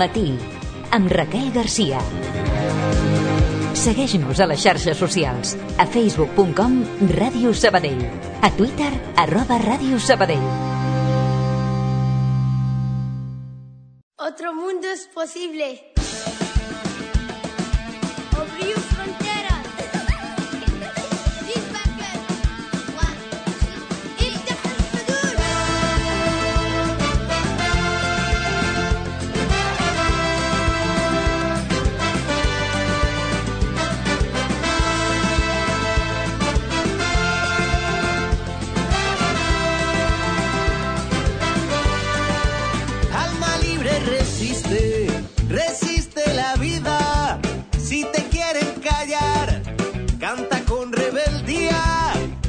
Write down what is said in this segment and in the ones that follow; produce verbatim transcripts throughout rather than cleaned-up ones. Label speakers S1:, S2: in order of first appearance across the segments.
S1: matí, amb Raquel Garcia. Segueix-nos a les xarxes socials, a facebook punt com Ràdio Sabadell, a Twitter, arroba Ràdio Sabadell.
S2: Otro mundo es posible. Obrir fronteras.
S3: Resiste la vida, si te quieren callar, canta con rebeldía.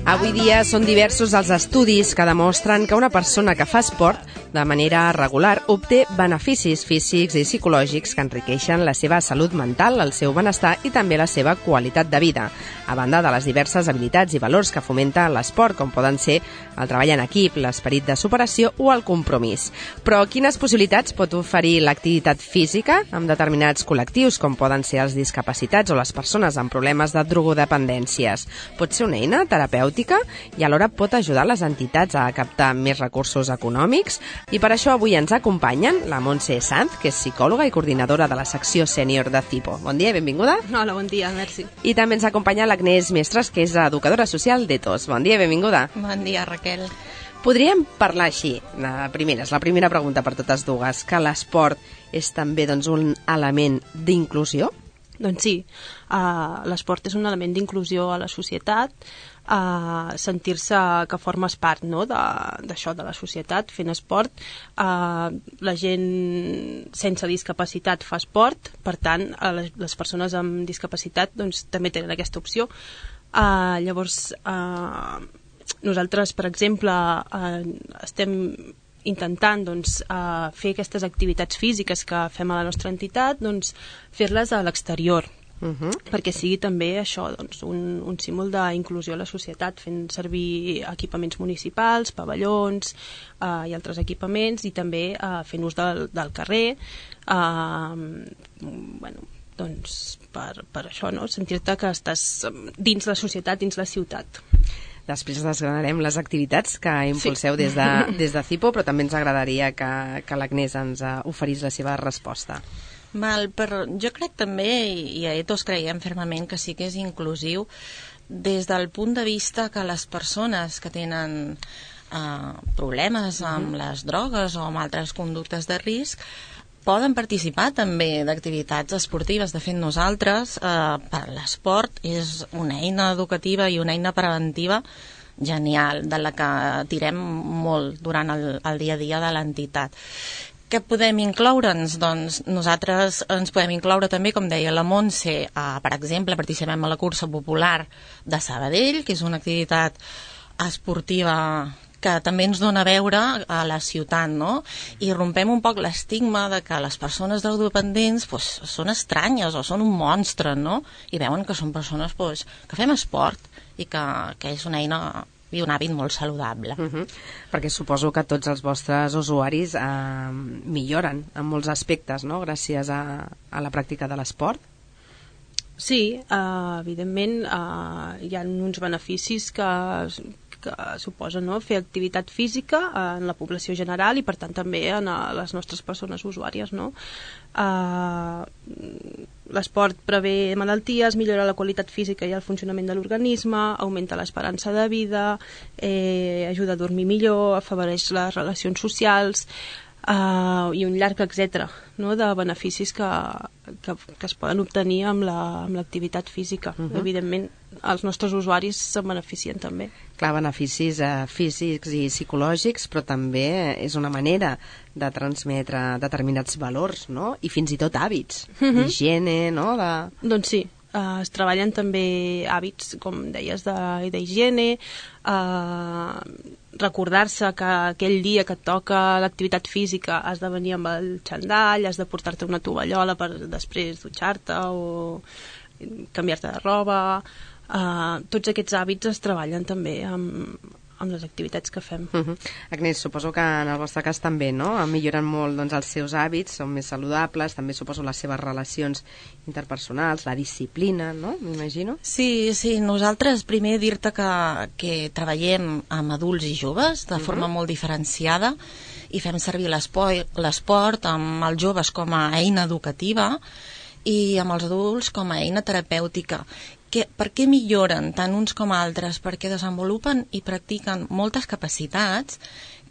S4: Avui dia són diversos els estudis que demostren que una persona que fa esport de manera regular obté beneficis físics i psicològics que enriqueixen la seva salut mental, el seu benestar i també la seva qualitat de vida, a banda de les diverses habilitats i valors que fomenta l'esport, com poden ser el treball en equip, l'esperit de superació o el compromís. Però quines possibilitats pot oferir l'activitat física amb determinats col·lectius, com poden ser els discapacitats o les persones amb problemes de drogodependències? Pot ser una eina terapèutica i alhora pot ajudar les entitats a captar més recursos econòmics? I per això avui ens acompanyen la Montse Sanz, que és psicòloga i coordinadora de la secció sènior de CIPO. Bon dia i benvinguda.
S5: Hola, bon dia, merci.
S4: I també ens acompanya l'Agnès Mestres, que és educadora social d'Etos. Bon dia i benvinguda.
S5: Bon dia, Raquel.
S4: Podríem parlar així, la primera, és la primera pregunta per totes dues, que l'esport és també doncs, un element d'inclusió?
S5: Doncs sí, uh, l'esport és un element d'inclusió a la societat, uh, sentir-se que formes part, no?, d'això, de, de la societat, fent esport. Uh, la gent sense discapacitat fa esport, per tant, uh, les, les persones amb discapacitat doncs, també tenen aquesta opció. Uh, llavors, uh, nosaltres, per exemple, uh, estem intentant doncs, uh, fer aquestes activitats físiques que fem a la nostra entitat, doncs, fer-les a l'exterior, uh-huh. perquè sigui també això, doncs, un, un símbol d'inclusió a la societat, fent servir equipaments municipals, pavellons uh, i altres equipaments, i també uh, fent ús del, del carrer, uh, bueno, doncs, per, per això, no? Sentir-te que estàs dins la societat, dins la ciutat.
S4: Després desgranarem les activitats que impulseu sí. des, de, des de CIPO, però també ens agradaria que, que l'Agnès ens oferís la seva resposta.
S6: Val, però jo crec també, i a Etos creiem fermament que sí que és inclusiu, des del punt de vista que les persones que tenen eh, problemes amb uh-huh. les drogues o amb altres conductes de risc poden participar també d'activitats esportives. De fet, nosaltres, eh, per l'esport, és una eina educativa i una eina preventiva genial, de la que tirem molt durant el, el dia a dia de l'entitat. Què podem incloure'ns? Doncs nosaltres ens podem incloure també, com deia la Montse, eh, per exemple, participem a la cursa popular de Sabadell, que és una activitat esportiva que també ens dona a veure a la ciutat, no? I rompem un poc l'estigma de que les persones drogodependents pues, són estranyes o són un monstre, no? I veuen que són persones pues, que fem esport i que, que és una eina i un hàbit molt saludable.
S4: Uh-huh. Perquè suposo que tots els vostres usuaris eh, milloren en molts aspectes, no?, gràcies a, a la pràctica de l'esport.
S5: Sí, uh, evidentment uh, hi ha uns beneficis que, que suposa, no?, fer activitat física en la població general i per tant també en les nostres persones usuàries, no? Uh, l'esport prevé malalties, millora la qualitat física i el funcionament de l'organisme, augmenta l'esperança de vida, eh, ajuda a dormir millor, afavoreix les relacions socials, Uh, i un llarg etcètera, no?, de beneficis que, que, que es poden obtenir amb l'activitat la, física. Uh-huh. Evidentment, els nostres usuaris se'n beneficien també.
S4: Clar, beneficis eh, físics i psicològics, però també és una manera de transmetre determinats valors, no?, i fins i tot hàbits, uh-huh. d'higiene, no?, de...
S5: Doncs sí. Uh, es treballen també hàbits, com deies, d'higiene, uh, recordar-se que aquell dia que et toca l'activitat física has de venir amb el xandall, has de portar-te una tovallola per després dutxar-te o canviar-te de roba. Uh, tots aquests hàbits es treballen també amb, amb les activitats que fem.
S4: Uh -huh. Agnès, suposo que en el vostre cas també, no? Milloren molt doncs, els seus hàbits, són més saludables, també suposo les seves relacions interpersonals, la disciplina, no? M'imagino.
S6: Sí, sí, nosaltres primer dir-te que, que treballem amb adults i joves de forma uh -huh. molt diferenciada i fem servir l'esport amb els joves com a eina educativa i amb els adults com a eina terapèutica. Que, per què milloren tant uns com altres? Perquè desenvolupen i practiquen moltes capacitats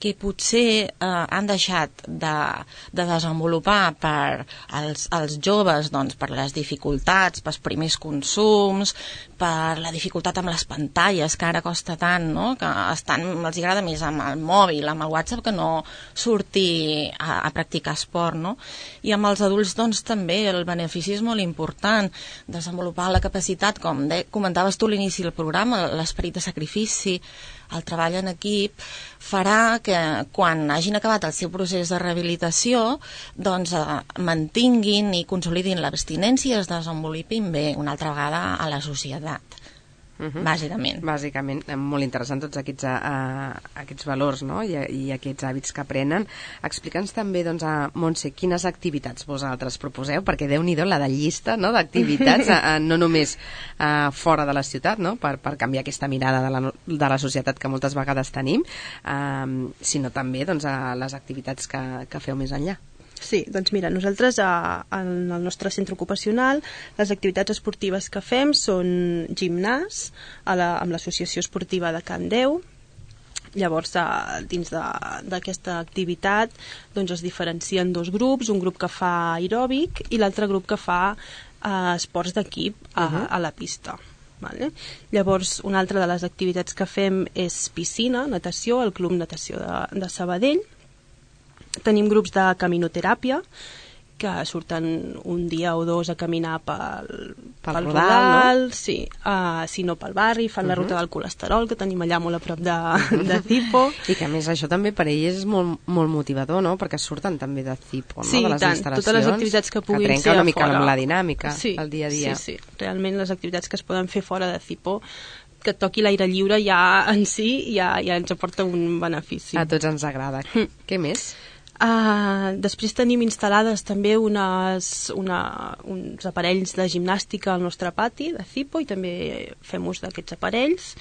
S6: que potser eh, han deixat de, de desenvolupar per als, als joves, doncs, per les dificultats, pels primers consums, per la dificultat amb les pantalles, que ara costa tant, no? Que estan, els agrada més amb el mòbil, amb el WhatsApp, que no sortir a, a practicar esport, no? I amb els adults, doncs, també el benefici és molt important, desenvolupar la capacitat, com de, comentaves tu a l'inici del programa, l'esperit de sacrifici, el treball en equip, farà que quan hagin acabat el seu procés de rehabilitació doncs eh, mantinguin i consolidin l'abstinència i es desenvolupin bé una altra vegada a la societat. Uh -huh. Bàsicament.
S4: Bàsicament, molt interessant tots aquests, uh, aquests valors, no? I, i aquests hàbits que aprenen. Explica'ns també, doncs, a Montse, quines activitats vosaltres proposeu, perquè Déu-n'hi-do la de llista, no?, d'activitats, uh, no només uh, fora de la ciutat, no?, per, per canviar aquesta mirada de la, de la societat que moltes vegades tenim, uh, sinó també, doncs, a les activitats que, que feu més enllà.
S5: Sí, doncs mira, nosaltres a, en el nostre centre ocupacional les activitats esportives que fem són gimnàs a la, amb l'associació esportiva de Can Déu. Llavors, a, dins d'aquesta activitat doncs es diferencien dos grups, un grup que fa aeròbic i l'altre grup que fa eh, esports d'equip a, uh-huh. a la pista. Vale? Llavors, una altra de les activitats que fem és piscina, natació, el Club Natació de, de Sabadell. Tenim grups de caminoteràpia que surten un dia o dos a caminar pel,
S4: pel,
S5: pel
S4: Rodal,
S5: Rodal,
S4: no?
S5: Sí, uh, si no pel barri, fan uh -huh. la ruta del colesterol, que tenim allà molt a prop de, de Zipo.
S4: I que a més això també per ells és molt, molt motivador, no? Perquè surten també de Zipo, no?
S5: Sí,
S4: De les
S5: tant,
S4: instal·lacions,
S5: totes les activitats que puguin
S4: que
S5: ser
S4: una mica
S5: fora.
S4: amb la dinàmica,
S5: sí,
S4: el dia a dia.
S5: Sí, sí, realment les activitats que es poden fer fora de Zipo, que et toqui l'aire lliure ja en si ja, ja ens aporta un benefici.
S4: A tots ens agrada. Mm. Què més?
S5: Uh, després tenim instal·lades també unes, una, uns aparells de gimnàstica al nostre pati de Zipo i també fem ús d'aquests aparells.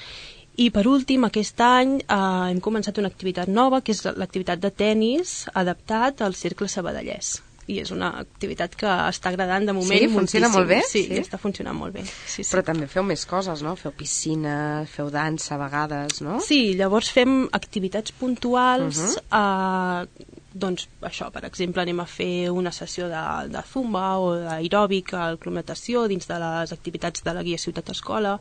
S5: I per últim, aquest any uh, hem començat una activitat nova, que és l'activitat de tennis adaptat al Cercle Sabadellès. I és una activitat que està agradant de moment.
S4: Sí, funciona
S5: moltíssim.
S4: molt bé?
S5: Sí,
S4: sí,
S5: està funcionant molt bé. Sí, sí.
S4: Però també feu més coses, no? Feu piscina, feu dansa a vegades, no?
S5: Sí, llavors fem activitats puntuals, uh-huh. uh, doncs això, per exemple, anem a fer una sessió de, de zumba o d'aeròbic al Club Natació dins de les activitats de la Guia Ciutat Escola,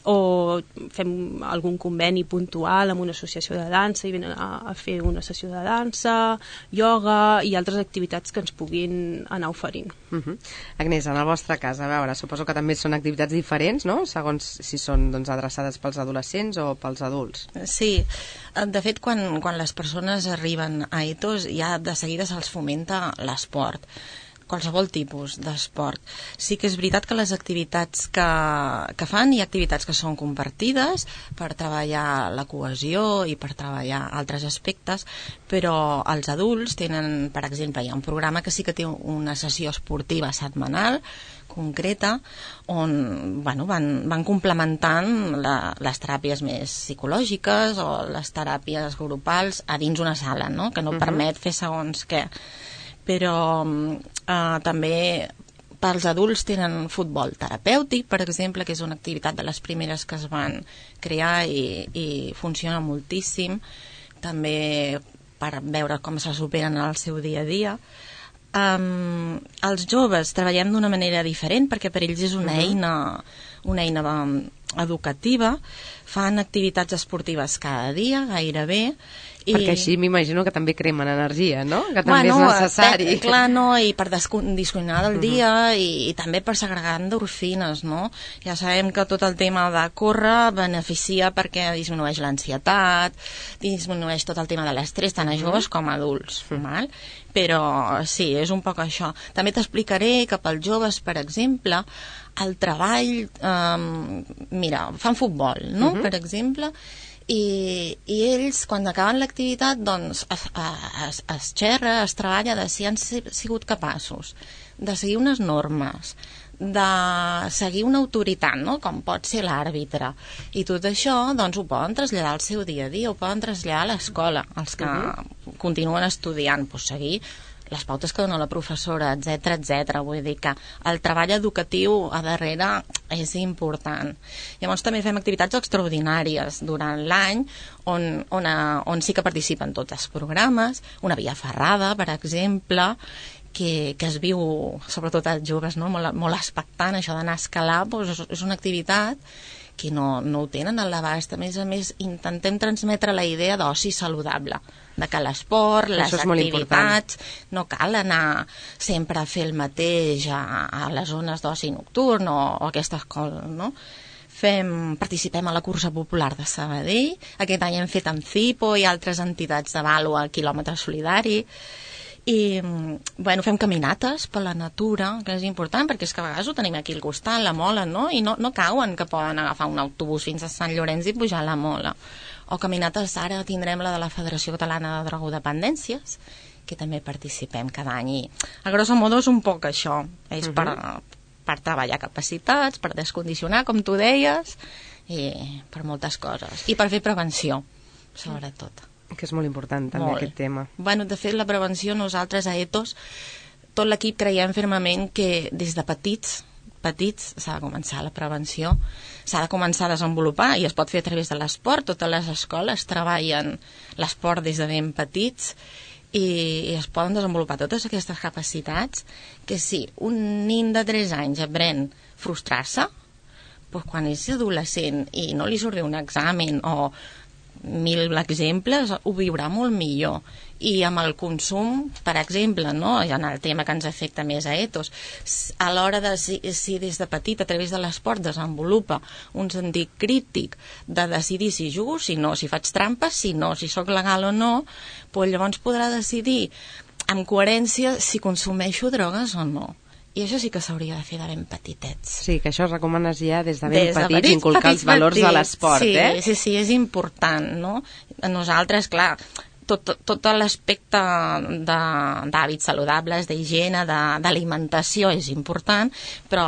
S5: o fem algun conveni puntual amb una associació de dansa i venen a, a fer una sessió de dansa, ioga i altres activitats que ens puguin anar oferint.
S4: Uh -huh. Agnès, en el vostre cas, a veure, suposo que també són activitats diferents, no?, segons si són doncs, adreçades pels adolescents o pels adults.
S6: Sí, de fet, quan, quan les persones arriben a Ethos ja de seguida se'ls fomenta l'esport, qualsevol tipus d'esport. Sí que és veritat que les activitats que, que fan, hi ha activitats que són compartides per treballar la cohesió i per treballar altres aspectes, però els adults tenen, per exemple, hi ha un programa que sí que té una sessió esportiva setmanal concreta on bueno, van, van complementant la, les teràpies més psicològiques o les teràpies grupals a dins una sala, no?, que no uh-huh. permet fer segons què. Però eh, també pels adults tenen futbol terapèutic, per exemple, que és una activitat de les primeres que es van crear i, i funciona moltíssim, també per veure com se superen en el seu dia a dia. Um, els joves treballem d'una manera diferent perquè per ells és una uh-huh. eina, una eina um, educativa, fan activitats esportives cada dia, gairebé, i...
S4: perquè així m'imagino que també cremen energia, no?, que també
S6: bueno,
S4: és necessari.
S6: Eh, clar, no, i per descondicionar del dia uh-huh. i, i també per segregar endorfines, no? Ja sabem que tot el tema de córrer beneficia perquè disminueix l'ansietat, disminueix tot el tema de l'estrès, tant a joves uh-huh. com a adults, uh-huh. val? Però sí, és un poc això. També t'explicaré que pels joves, per exemple, el treball, eh, mira, fan futbol, no?, uh-huh. per exemple, I, i ells, quan acaben l'activitat, doncs es, es, es xerra, es treballa de si han sigut capaços de seguir unes normes, de seguir una autoritat, no? Com pot ser l'àrbitre, i tot això doncs ho poden traslladar al seu dia a dia, ho poden traslladar a l'escola, els que uh-huh. continuen estudiant, doncs seguir les pautes que dona la professora, etcètera, etcètera. Vull dir que el treball educatiu a darrere és important. Llavors també fem activitats extraordinàries durant l'any on, on, on sí que participen tots els programes, una via ferrada, per exemple, que, que es viu, sobretot als joves, no? molt, molt expectant, això d'anar a escalar, doncs és una activitat que no, no ho tenen a l'abast. A més a més, intentem transmetre la idea d'oci saludable, de que l'esport, les activitats, no cal anar sempre a fer el mateix a, a les zones d'oci nocturn o, o aquestes coses, no? Fem, participem a la cursa popular de Sabadell, aquest any hem fet amb Cipo i altres entitats de vàlua quilòmetre solidari, i bueno, fem caminates per la natura, que és important, perquè és que a vegades ho tenim aquí al costat, la Mola, no? I no, no cauen que poden agafar un autobús fins a Sant Llorenç i pujar a la Mola. O caminates, ara tindrem la de la Federació Catalana de Drogodependències, que també participem cada any. I a grosso modo és un poc això, és uh-huh. per, per treballar capacitats, per descondicionar, com tu deies, i per moltes coses. I per fer prevenció, sobretot.
S4: Que és molt important també molt. Aquest tema.
S6: Bueno, de fet, la prevenció, nosaltres a Ethos, tot l'equip creiem fermament que des de petits, petits s'ha de començar la prevenció, s'ha de començar a desenvolupar i es pot fer a través de l'esport. Totes les escoles treballen l'esport des de ben petits i, i es poden desenvolupar totes aquestes capacitats que si un nin de tres anys aprèn frustrar-se, doncs quan és adolescent i no li surt bé un examen o mil exemples, ho viurà molt millor. I amb el consum, per exemple, no? En el tema que ens afecta més a Ethos, a l'hora de si, si des de petit a través de l'esport desenvolupa un sentit crític de decidir si jugo, si no, si faig trampes, si no, si sóc legal o no, doncs llavors podrà decidir amb coherència si consumeixo drogues o no. I això sí que s'hauria de fer de ben petitets.
S4: Sí, que això es recomanes ja des de ben des petits, de petits inculcar petits, els valors petits. De l'esport,
S6: sí,
S4: eh?
S6: Sí, sí, és important, no? Nosaltres, clar, tot, tot, tot l'aspecte d'hàbits saludables, d'higiene, d'alimentació és important, però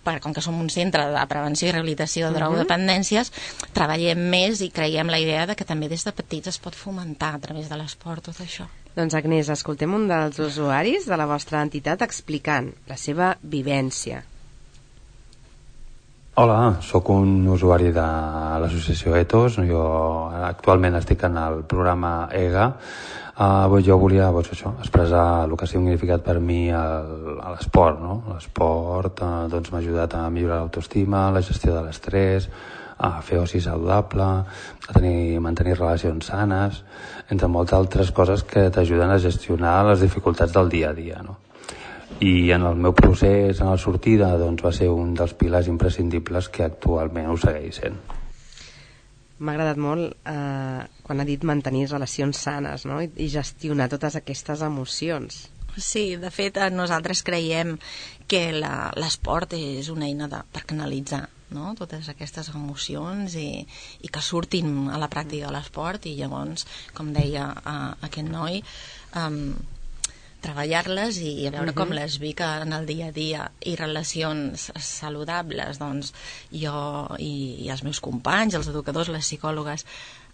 S6: per, com que som un centre de prevenció i rehabilitació de drogodependències, uh-huh. treballem més i creiem la idea de que també des de petits es pot fomentar a través de l'esport tot això.
S4: Doncs Agnès, escoltem un dels usuaris de la vostra entitat explicant la seva vivència.
S7: Hola, sóc un usuari de l'associació Ethos. Jo actualment estic en el programa E G A. Uh, jo volia doncs, això, expressar el que ha significat per mi l'esport. No? L'esport uh, doncs, m'ha ajudat a millorar l'autoestima, la gestió de l'estrès, a fer oci saludable, a tenir, mantenir relacions sanes, entre moltes altres coses que t'ajuden a gestionar les dificultats del dia a dia, no? I en el meu procés, en la sortida, doncs va ser un dels pilars imprescindibles que actualment ho segueix sent.
S4: M'ha agradat molt eh, quan ha dit mantenir relacions sanes, no? I, i gestionar totes aquestes emocions.
S6: Sí, de fet, nosaltres creiem que l'esport és una eina de, per canalitzar, no? Totes aquestes emocions i, i que surtin a la pràctica de l'esport i llavors, com deia uh, aquest noi, um, treballar-les i a veure uh-huh. com les vic en el dia a dia i relacions saludables. Doncs jo i, i els meus companys, els educadors, les psicòlogues,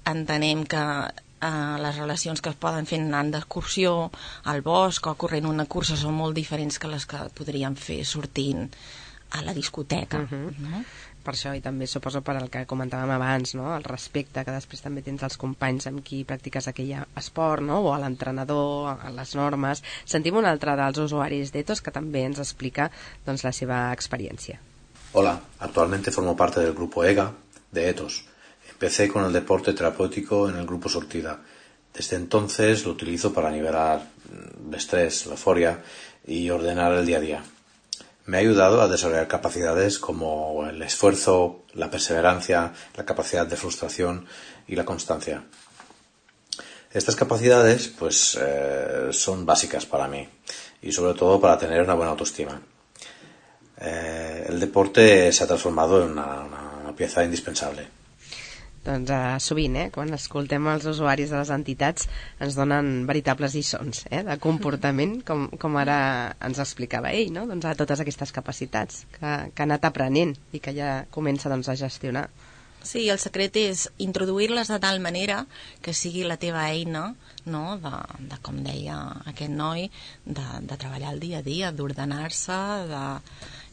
S6: entenem que Uh, les relacions que es poden fer anant d'excursió al bosc o corrent una cursa són molt diferents que les que podríem fer sortint a la discoteca. Uh-huh. No?
S4: Per això, i també suposo per el que comentàvem abans, no? El respecte que després també tens als companys amb qui practiques aquell esport, no? O a l'entrenador, a les normes. Sentim un altre dels usuaris d'Ethos que també ens explica doncs, la seva experiència.
S8: Hola, actualmente formo parte del grupo E G A de Ethos. Empecé con el deporte terapéutico en el grupo Sortida. Desde entonces lo utilizo para nivelar el estrés, la euforia y ordenar el día a día. Me ha ayudado a desarrollar capacidades como el esfuerzo, la perseverancia, la capacidad de frustración y la constancia. Estas capacidades pues, eh, son básicas para mí y sobre todo para tener una buena autoestima. Eh, el deporte se ha transformado en una, una, una pieza indispensable.
S4: Doncs eh, sovint, eh, quan escoltem els usuaris de les entitats, ens donen veritables lliçons eh, de comportament, com, com ara ens explicava ell, no? Doncs a totes aquestes capacitats que, que ha anat aprenent i que ja comença doncs, a gestionar.
S6: Sí, el secret és introduir-les de tal manera que sigui la teva eina, no? de, de com deia aquest noi, de, de treballar el dia a dia, d'ordenar-se, de...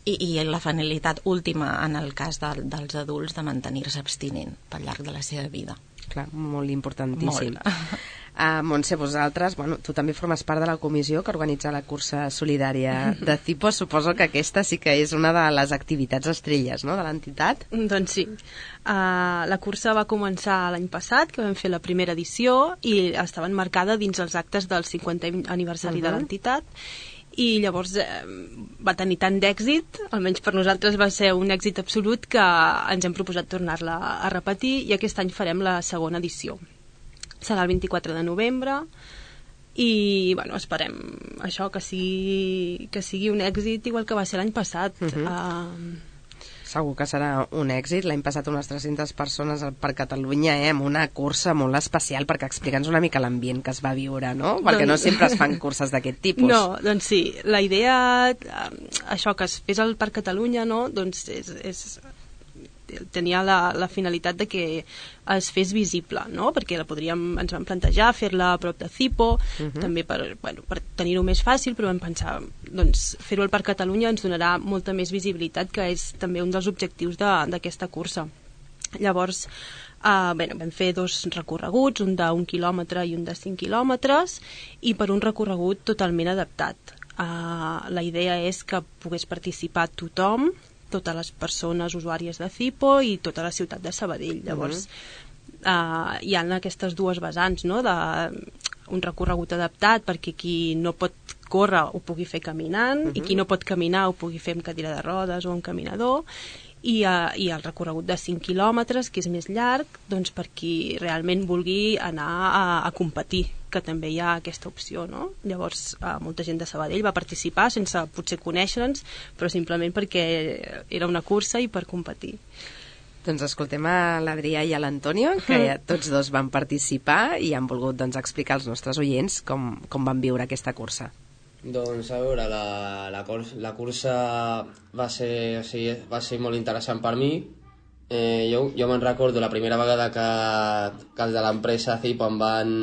S6: I, i la finalitat última en el cas de, dels adults de mantenir-se abstinent pel llarg de la seva vida.
S4: Clar, molt importantíssim.
S6: Molt.
S4: Uh, Montse, vosaltres, bueno, tu també formes part de la comissió que organitza la cursa solidària de Cipo. Suposo que aquesta sí que és una de les activitats estrelles, no?, de l'entitat.
S5: Doncs sí. Uh, la cursa va començar l'any passat, que vam fer la primera edició, i estava enmarcada dins els actes del cinquantè aniversari uh-huh. de l'entitat, i llavors eh, va tenir tant d'èxit, almenys per nosaltres va ser un èxit absolut, que ens hem proposat tornar-la a repetir, i aquest any farem la segona edició. Serà el vint-i-quatre de novembre i bueno, esperem això, que sigui, que sigui un èxit igual que va ser l'any passat.
S4: Uh-huh.
S5: uh,
S4: Segur que serà un èxit. L'any passat unes tres-centes persones per Catalunya, eh, amb una cursa molt especial, perquè explica'ns una mica l'ambient que es va viure, no? Perquè doncs... no sempre es fan curses d'aquest tipus.
S5: No, doncs sí, la idea, això que es fes al Parc Catalunya, no? Doncs és, és, tenia la, la finalitat de que es fes visible, no? Perquè la podríem, ens vam plantejar fer-la a prop de Cipo, uh-huh. també per, bueno, per tenir-ho més fàcil, però vam pensar, doncs, fer-ho al Parc Catalunya ens donarà molta més visibilitat, que és també un dels objectius d'aquesta cursa. Llavors, eh, bueno, vam fer dos recorreguts, un d'un quilòmetre i un de cinc quilòmetres, i per un recorregut totalment adaptat. Eh, la idea és que pogués participar tothom, totes les persones usuàries de Cipo i tota la ciutat de Sabadell. Llavors, uh-huh. uh, hi ha aquestes dues vessants, no?, de un recorregut adaptat perquè qui no pot córrer ho pugui fer caminant, uh-huh. i qui no pot caminar ho pugui fer amb cadira de rodes o amb caminador, i, uh, i el recorregut de cinc quilòmetres, que és més llarg, doncs per qui realment vulgui anar a, a competir, que també hi ha aquesta opció, no? Llavors, eh, molta gent de Sabadell va participar sense potser conèixer-nos, però simplement perquè era una cursa i per competir.
S4: Doncs escoltem a l'Adrià i a l'Antonio, que ja tots dos van participar i han volgut doncs, explicar als nostres oients com, com van viure aquesta cursa.
S9: Doncs a veure, la, la, la cursa va ser, o sigui, va ser molt interessant per mi. Eh, jo jo me'n recordo la primera vegada que, que els de l'empresa Cipo em van...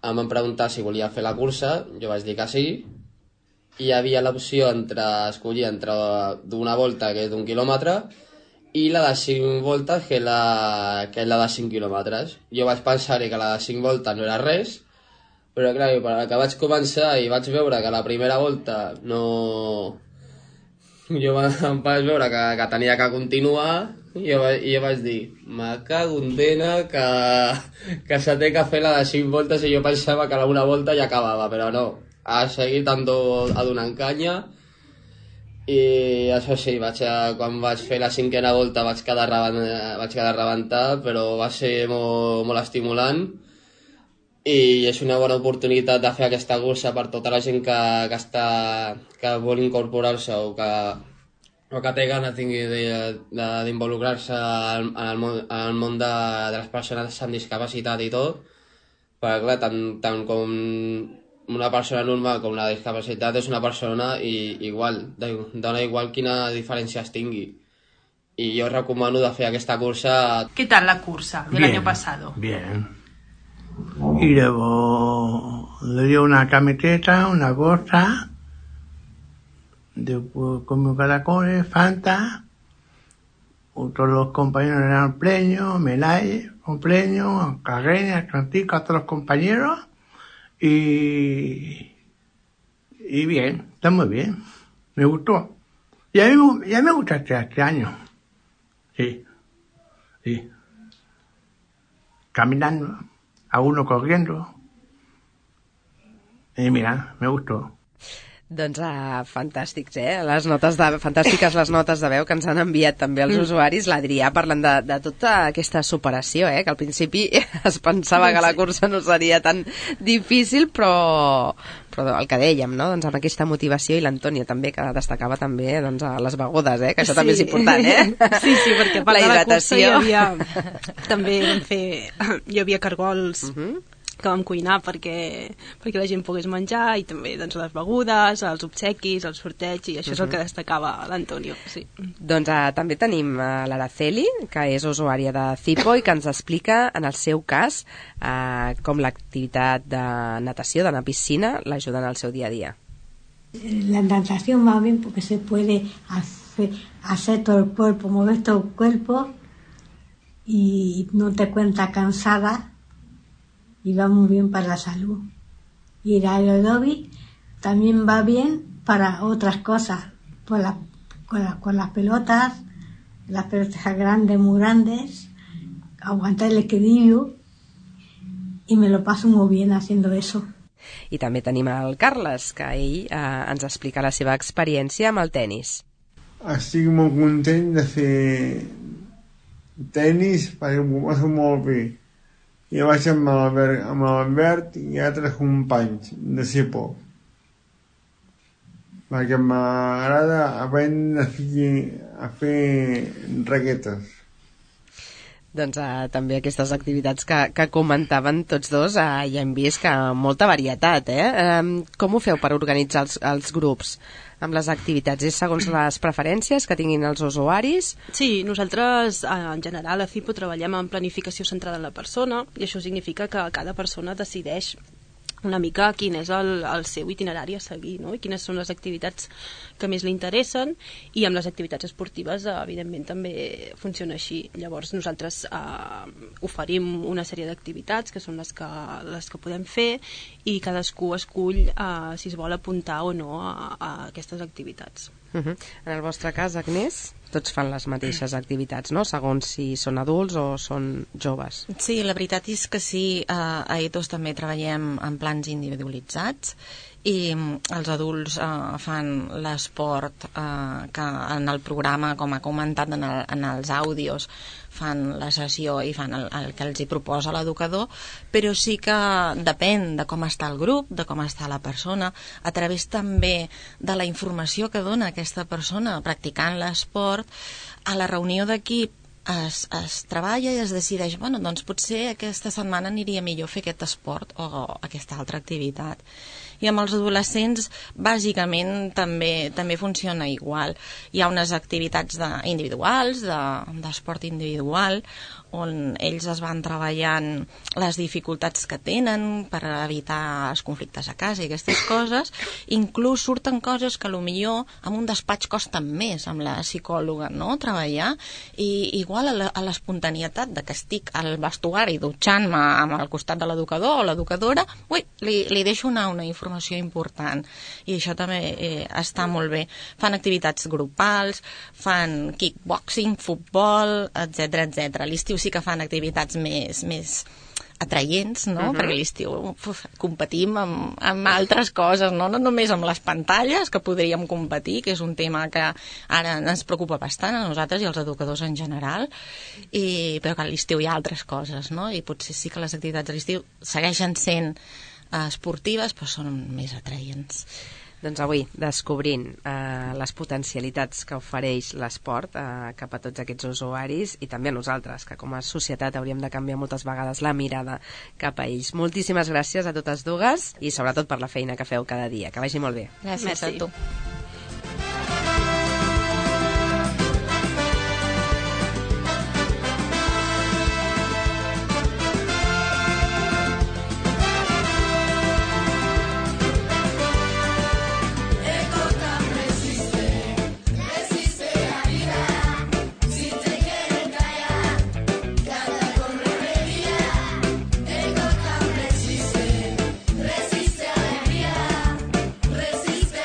S9: em van preguntar si volia fer la cursa, jo vaig dir que sí, i hi havia l'opció entre escollir entre d'una volta, que és d'un quilòmetre, i la de cinc voltes, que és la, que és la de cinc quilòmetres. Jo vaig pensar que la de cinc voltes no era res, però clar, per que vaig començar i vaig veure que la primera volta no... jo em vaig veure que, que tenia que continuar, i jo, i jo vaig dir, me cago en dena que, que se té que fer la de cinc voltes, i jo pensava que la una volta ja acabava, però no, ha seguit ando, a donant canya, i això sí, vaig a, quan vaig fer la cinquena volta vaig quedar, vaig quedar rebentat, però va ser molt, molt estimulant, i és una bona oportunitat de fer aquesta cursa per tota la gent que, que, està, que vol incorporar-se o que o que té ganes d'involucrar-se en el món, en el món de, de les persones amb discapacitat i tot, perquè clar, tant, tant com una persona normal com la discapacitat és una persona i igual, dona igual quina diferència es tingui. Y yo recomano de hacer esta cursa.
S10: ¿Qué tal la cursa del bien, año pasado?
S11: Bien. Y luego le dio una camiseta, una gorra, después comió caracoles, Fanta, todos los compañeros eran pleños, Melay, con pleños, Carreña, Francisco, a todos los compañeros, y, y bien, está muy bien, me gustó. Y a mí, y a mí me gusta este, este año, sí, sí, caminando, a uno corriendo, i mira, me gustó.
S4: Doncs uh, fantàstics, eh? Les notes de, fantàstiques les notes de veu que ens han enviat també els mm. usuaris. L'Adrià parlant de, de tota aquesta superació, eh? Que al principi es pensava que la cursa no seria tan difícil, però, Però el que dèiem, no? Doncs amb aquesta motivació, i l'Antònia també, que destacava també doncs, a les begudes, eh? Que això sí. també és important, eh?
S5: Sí, sí, perquè a part
S4: la
S5: de la cursa hi
S4: hidratació.
S5: havia... també vam fer... Hi havia cargols... Uh -huh. que vam cuinar perquè, perquè la gent pogués menjar, i també doncs, les begudes, els obsequis, el sorteig, i això uh -huh. és el que destacava l'Antonio. Sí.
S4: Doncs uh, també tenim uh, l'Araceli, que és usuària de Zipo i que ens explica, en el seu cas, uh, com l'activitat de natació, d'anar a piscina, l'ajuda en el seu dia a dia.
S12: La natación va bien porque se puede hacer, hacer todo el cuerpo, mover todo el cuerpo y no te cuentas cansada. Y va muy bien para la salud. Y el aeróbic también va bien para otras cosas, por la, con, la, con las pelotas, las pelotas grandes, muy grandes, aguantar el equilibrio, y me lo paso muy bien haciendo eso.
S4: I també tenim el Carles, que ell eh, ens explica la seva experiència amb el tennis.
S13: Estic molt content de fer tennis perquè m'ho passo molt bé. Jo vaig amb l'Albert, amb l'Albert i altres companys de Zipo, perquè m'agrada aprendre a fer, a fer raquetes.
S4: Doncs uh, també aquestes activitats que, que comentaven tots dos, uh, ja hem vist que molta varietat, eh? Um, com ho feu per organitzar els, els grups amb les activitats? És segons les preferències que tinguin els usuaris?
S5: Sí, nosaltres en general a Zipo treballem en planificació centrada en la persona, i això significa que cada persona decideix una mica quin és el, el seu itinerari a seguir, no? I quines són les activitats que més li interessen, i amb les activitats esportives evidentment també funciona així. Llavors nosaltres eh, oferim una sèrie d'activitats que són les que, les que podem fer, i cadascú escull eh, si es vol apuntar o no a, a aquestes activitats.
S4: Uh-huh. En el vostre cas, Agnès, tots fan les mateixes activitats, no? Segons si són adults o són joves.
S6: Sí, la veritat és que sí, a, a Ethos també treballem en plans individualitzats, i els adults eh, fan l'esport eh, que en el programa, com ha comentat en, el, en els àudios, fan la sessió i fan el, el que els hi proposa l'educador, però sí que depèn de com està el grup, de com està la persona, a través també de la informació que dona aquesta persona practicant l'esport. A la reunió d'equip es, es treballa i es decideix, bueno, doncs potser aquesta setmana aniria millor fer aquest esport o aquesta altra activitat. I amb els adolescents bàsicament també també funciona igual. Hi ha unes activitats de, individuals, d'esport de, individual, on ells es van treballant les dificultats que tenen per evitar els conflictes a casa i aquestes coses. Inclús surten coses que potser en un despatx costen més amb la psicòloga, no?, treballar, i igual a l'espontanietat de que estic al vestuari dutxant-me amb el costat de l'educador o l'educadora, ui, li, li deixo una, una informació important, i això també eh, està molt bé. Fan activitats grupals, fan kickboxing, futbol, etcètera, etcètera. A l'estiu sí que fan activitats més, més atraients, no? Uh-huh. Perquè a l'estiu uf, competim amb, amb altres coses, no? No només amb les pantalles, que podríem competir, que és un tema que ara ens preocupa bastant a nosaltres i als educadors en general, i, però que a l'estiu hi ha altres coses, no? I potser sí que les activitats a l'estiu segueixen sent eh, esportives, però són més atraients.
S4: Doncs avui, descobrint eh, les potencialitats que ofereix l'esport eh, cap a tots aquests usuaris, i també a nosaltres, que com a societat hauríem de canviar moltes vegades la mirada cap a ells. Moltíssimes gràcies a totes dues, i sobretot per la feina que feu cada dia. Que vagi molt bé.
S6: Gràcies Merci. A tu.
S2: Resiste a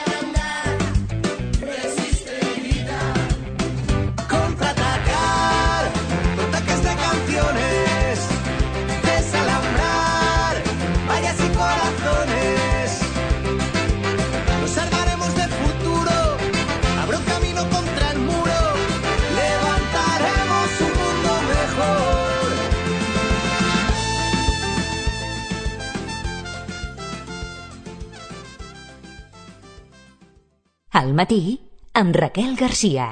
S1: Al matí, amb Raquel Garcia.